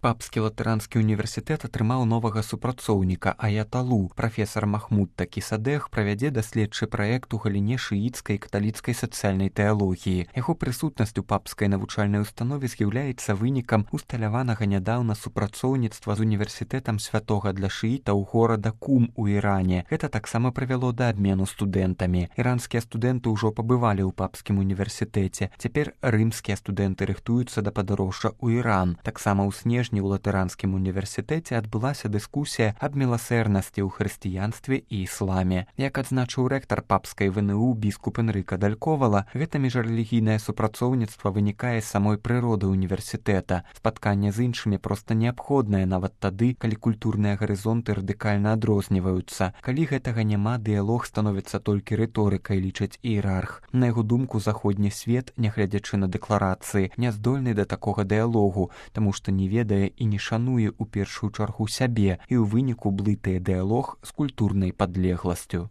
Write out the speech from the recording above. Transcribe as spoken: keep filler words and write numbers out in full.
Папскі латэранскі універсітэт атрымаў новага супрацоўніка аяталу. Прафесар Махмуд Такісадэх правядзе даследчы праект у галіне шыіцкай і каталіцкай сацыяльнай тэалогіі. Яго прысутнасць у папскай навучальнай установе з'яўляецца вынікам усталяванага нядаўна супрацоўніцтва з універсітэтам святога для шыітаў горада Кум у Іране. Гэта таксама прывяло да абмену студэнтамі. Іранскія студэнты ўжо пабывалі ў папскім універсітэце. Цяпер рымскія студэнты рыхтуюцца да падарожжа ў Іран. Таксама ў снежні у латыранскім універсітэце адбылася дыскусія аб міласэрнасці ў хрысціянстве і ісламе. Як адзначыў рэктар папскай ВНУ біскуп Энрыка Далькowala, гэта міжрэлігійнае супрацоўніцтва вынікае з самой прыроды універсітэта. Спатканне з іншымі проста неабходнае нават тады, калі культурныя гарызонты радыкальна адрозніваюцца. Калі гэтага няма, дыялог становіцца толькі рыторыкай, лічыць іерарх. На яго думку, заходні свет, нягледзячы на дэкларацыі, не здольны да такога дыялогу, таму што не ведае і не шануе ў першую чаргу сябе, і ў выніку блытае дыялог з культурнай падлегласцю.